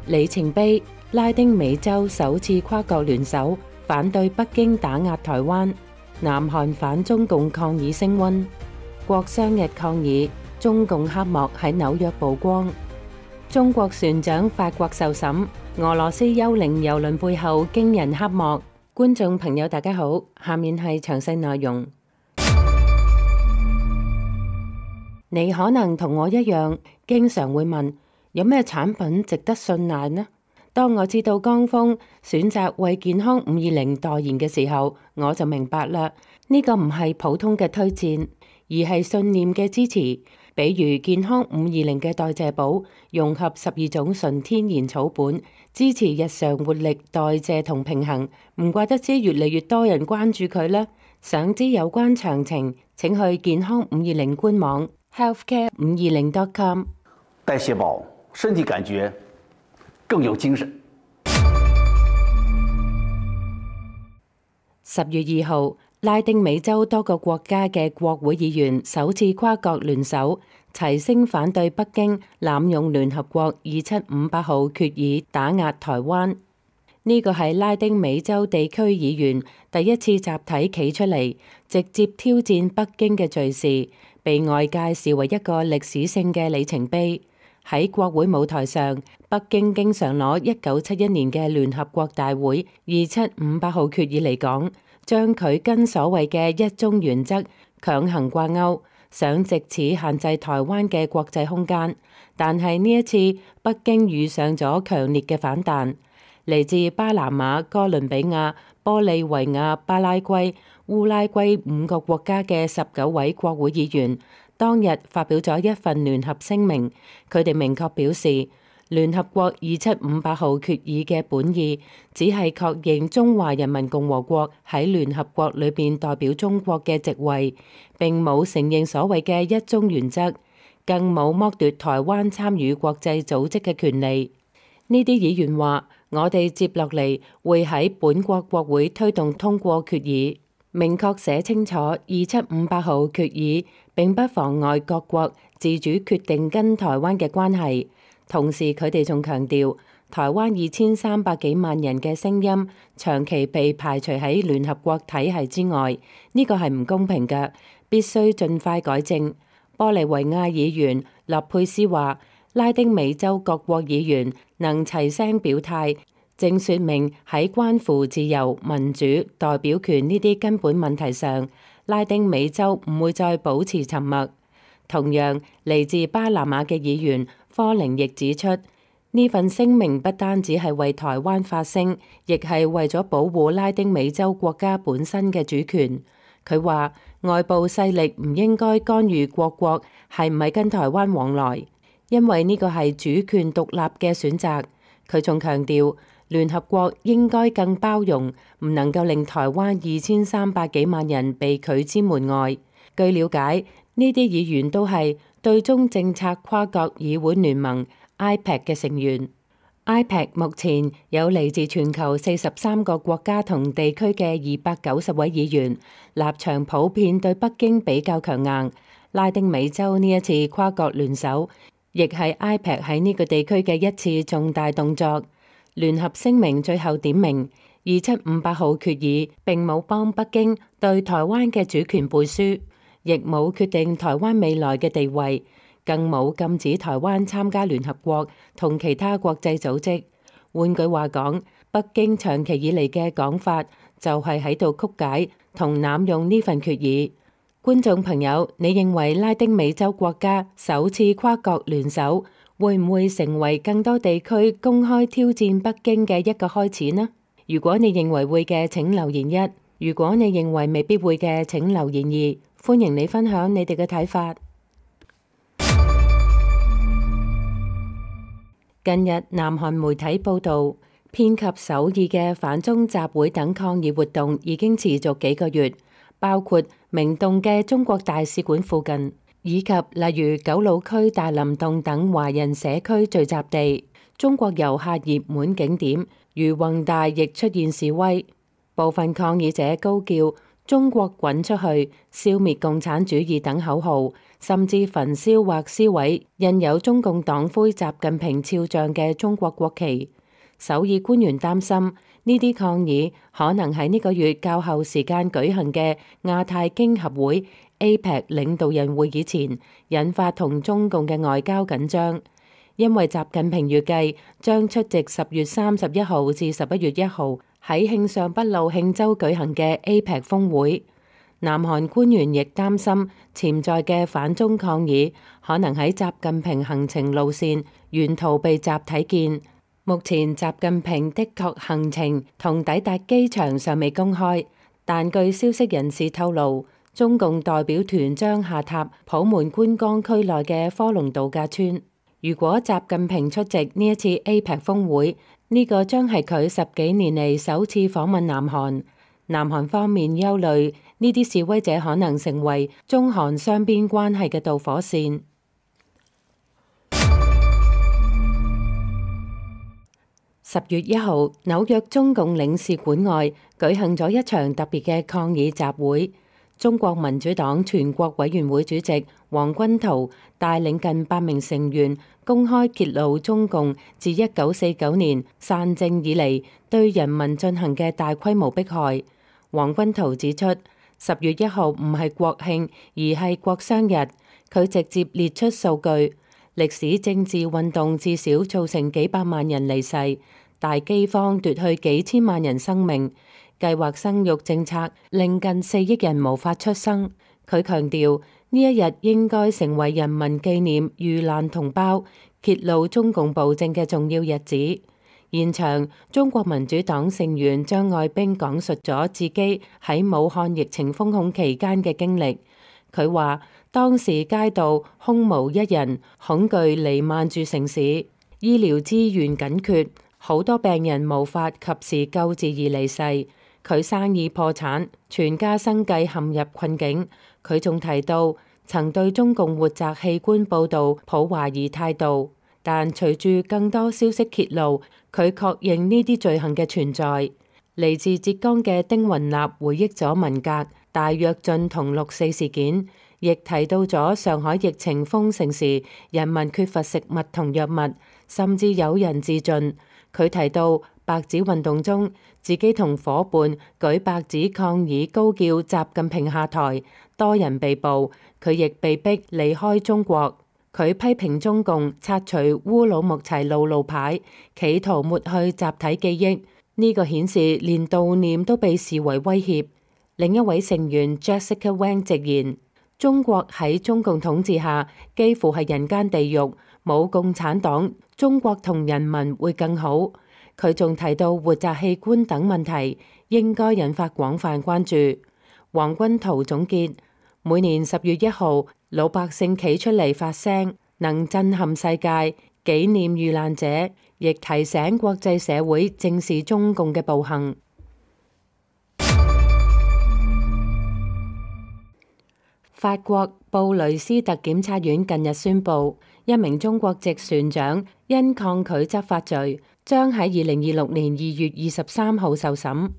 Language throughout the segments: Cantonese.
里程碑，拉丁美洲首次跨國聯手反對北京打壓台灣。南韓反中共抗議升溫，國殤日抗議，中共黑幕喺紐約曝光。中國船長法國受審，俄羅斯幽靈郵輪背後驚人黑幕。觀眾朋友大家好，下面係詳細內容。你可能同我一樣，經常會問，有咩產品值得信賴呢？當我知道江峰選擇為健康520代言嘅時候，我就明白啦。呢個唔係普通嘅推薦，而係信念嘅支持。比如健康520嘅代謝寶，融合12種純天然草本，支持日常活力、代謝同平衡。唔怪得知越嚟越多人關注佢啦。想知有關詳情，請去健康520官網 healthcare520.com。代謝寶，身體感覺更有精神。10月2號，拉丁美洲多個國家嘅國會議員首次跨國聯手，齊聲反對北京濫用聯合國2758號決議打壓台灣。呢個係拉丁美洲地區議員第一次集體企出嚟，直接挑戰北京嘅敘事，被外界視為一個歷史性嘅里程碑。喺國會舞台上，北京經常攞1971年嘅聯合國大會2758號決議嚟講，將佢跟所謂嘅一中原則強行掛鈎，想藉此限制台灣嘅國際空間。但係呢一次，北京遇上咗強烈嘅反彈，嚟自巴拿馬、哥倫比亞、玻利維亞、巴拉圭、烏拉圭5個國家嘅19位國會議員，當日發表咗一份聯合聲明，佢哋明確表示，聯合國2758號決議嘅本意只係確認中華人民共和國喺聯合國裏邊代表中國嘅席位，並冇承認所謂嘅一中原則，更冇剝奪台灣參與國際組織嘅權利。呢啲議員話：我哋接落嚟會喺本國國會推動通過決議，明確寫清楚2758號決議並不妨礙各國自主決定跟台灣嘅關係。同時，佢哋仲強調，台灣2300幾萬人嘅聲音長期被排除喺聯合國體系之外，呢個係唔公平嘅，必須盡快改正。玻利維亞議員勒佩斯話：拉丁美洲各國議員能齊聲表態，正說明喺關乎自由、民主、代表權呢啲根本問題上，拉丁美洲唔會再保持沉默。同樣，嚟自巴拿馬嘅議員科寧亦指出，呢份聲明不單止係為台灣發聲，亦係為咗保護拉丁美洲國家本身嘅主權。佢話外部勢力唔應該干預各國係唔係跟台灣往來，因為呢個係主權獨立嘅選擇。佢仲強調，聯合國應該更包容，唔能夠令台灣2300幾萬人被拒之門外。據了解，呢啲議員都係對中政策跨國議會聯盟 IPEC 嘅成員。IPEC 目前有嚟自全球43個國家同地區嘅290位議員，立場普遍對北京比較強硬。拉丁美洲呢一次跨國聯手，亦係 IPEC 喺呢個地區嘅一次重大動作。聯合聲明最後點明，2758號決議並冇幫北京對台灣嘅主權背書，亦冇決定台灣未來嘅地位，更冇禁止台灣參加聯合國同其他國際組織。換句話講，北京長期以嚟嘅講法就係喺度曲解同濫用呢份決議。觀眾朋友，你認為拉丁美洲國家首次跨國聯手，會唔會成為更多地區公開挑戰北京嘅一個開始呢？如果你認為會嘅，請留言1；如果你認為未必會嘅，請留言2。歡迎你分享你哋嘅睇法。近日，南韓媒體報導，遍及首爾嘅反中集會等抗議活動已經持續幾個月，包括明洞嘅中國大使館附近，以及例如九老區大林洞等華人社區聚集地。中國遊客熱門景點如弘大亦出現示威，部分抗議者高叫中國滾出去、消滅共產主義等口號，甚至焚燒或燒毀印有中共黨魁習近平肖像嘅中國國旗。首爾官員擔心呢啲抗議可能喺呢個月較後時間舉行嘅亞太經合會 APEC 領導人會議前，引發同中共嘅外交緊張。因為習近平預計將出席10月31號至11月1號喺慶尚北路慶州舉行嘅 APEC 峰會。南韓官員亦擔心潛在嘅反中抗議可能喺習近平行程路線沿途被集體見。目前習近平的確行程同抵達機場尚未公開，但據消息人士透露，中共代表團將下榻普門觀光區內嘅科隆度假村。如果習近平出席呢一次 APEC 峰會，呢個將係佢10幾年嚟首次訪問南韓。南韓方面憂慮呢啲示威者可能成為中韓雙邊關係嘅導火線。10月1號，紐約中共領事館外舉行咗一場特別嘅抗議集會。中國民主黨全國委員會主席黃軍濤帶領近8名成員公開揭露中共自1949年傘政以嚟對人民進行嘅大規模迫害。黃軍濤指出，10月1號唔係國慶，而係國殤日。佢直接列出數據，歷史政治運動至少造成幾百萬人離世，大饑荒奪去幾千萬人生命。計劃生育政策令近4億人無法出生。佢強調呢一日應該成為人民紀念遇難同胞、揭露中共暴政嘅重要日子。現場，中國民主黨成員張愛冰講述咗自己喺武漢疫情封控期間嘅經歷。佢話當時街道空無一人，恐懼瀰漫住城市，醫療資源緊缺，好多病人無法及時救治而離世。佢生意破產，全家生計陷入困境。佢仲提到曾對中共活摘器官報導抱懷疑態度，但隨住更多消息揭露，佢確認呢啲罪行嘅存在。嚟自浙江嘅丁雲立回憶咗文革、大躍進同6.4事件，亦提到咗上海疫情封城時人民缺乏食物同藥物，甚至有人自盡。佢提到白紙運動中，自己同伙伴舉白紙抗議，高叫習近平下台，多人被捕，佢亦被逼離開中國。佢批評中共拆除烏魯木齊路牌，企圖抹去集體記憶，呢個顯示連悼念都被視為威脅。另一位成員 Jessica Wang 直言，中國喺中共統治下幾乎係人間地獄，冇共產黨，中國同人民會更好。佢仲提到活摘器官等問題應該引發廣泛關注。黃軍濤總結，每年10月1號，老百姓企出嚟發聲，能震撼世界，紀念遇難者，亦提醒國際社會正視中共嘅暴行。法國布雷斯特檢察院近日宣布，一名中國籍船長因抗拒執法罪，將喺2026年2月23號受審。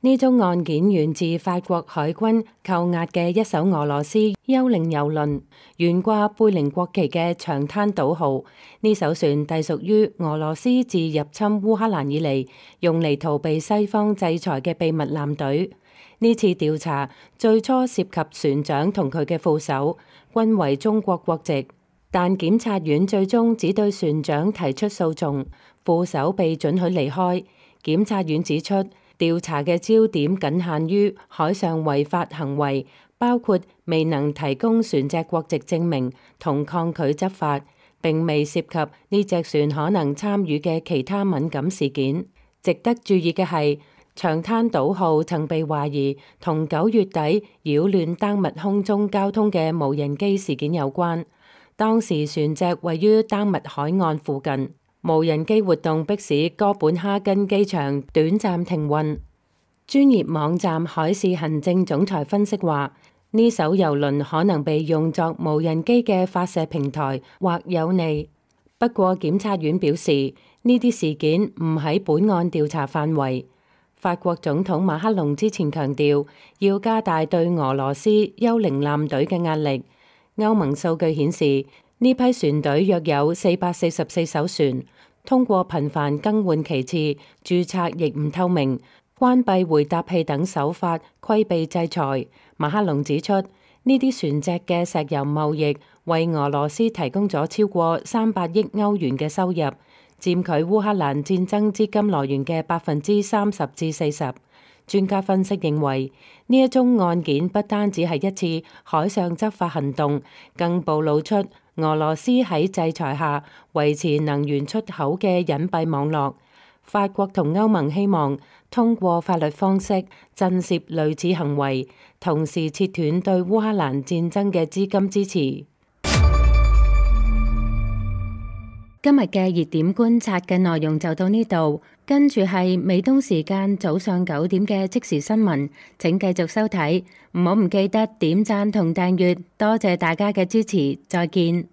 呢宗案件源自法國海軍扣押嘅一艘俄羅斯幽靈郵輪，懸掛貝寧國旗嘅長灘島號。呢艘船隸屬於俄羅斯自入侵烏克蘭以嚟用嚟逃避西方制裁嘅秘密艦隊。呢次調查最初涉及船長同佢嘅副手，均為中國國籍，但檢察院最終只對船長提出訴訟，副手被准許離開。檢察院指出，調查嘅焦點僅限於海上違法行為，包括未能提供船隻國籍證明同抗拒執法，並未涉及呢隻船可能參與嘅其他敏感事件。值得注意嘅係，長灘島號曾被懷疑同9月底擾亂丹麥空中交通嘅無人機事件有關。當時船隻位於丹麥海岸附近，無人機活動迫使哥本哈根機場短暫停運。專業網站海事行政總裁分析話，呢艘郵輪可能被用作無人機嘅發射平台或有利。不過檢察院表示，呢啲事件唔喺本案調查範圍。法國總統馬克龍之前強調要加大對俄羅斯幽靈艦隊嘅壓力。歐盟數據顯示，呢批船隊約有444艘船，通過頻繁更換旗幟、註冊亦唔透明、關閉回答器等手法規避制裁。馬克龍指出，呢啲船隻嘅石油貿易為俄羅斯提供咗超過300億歐元嘅收入，佔佢烏克蘭戰爭資金來源嘅30%至40%。專家分析認為，呢一宗案件不單只係一次海上執法行動，更暴露出俄羅斯喺制裁下維持能源出口嘅隱蔽網絡。法國同歐盟希望通過法律方式震懾類似行為，同時切斷對烏克蘭戰爭嘅資金支持。今日嘅熱點觀察嘅內容就到呢度，跟住係美東時間早上9點嘅即時新聞，請繼續收睇，唔記得點讚同訂閱，多謝大家嘅支持，再見。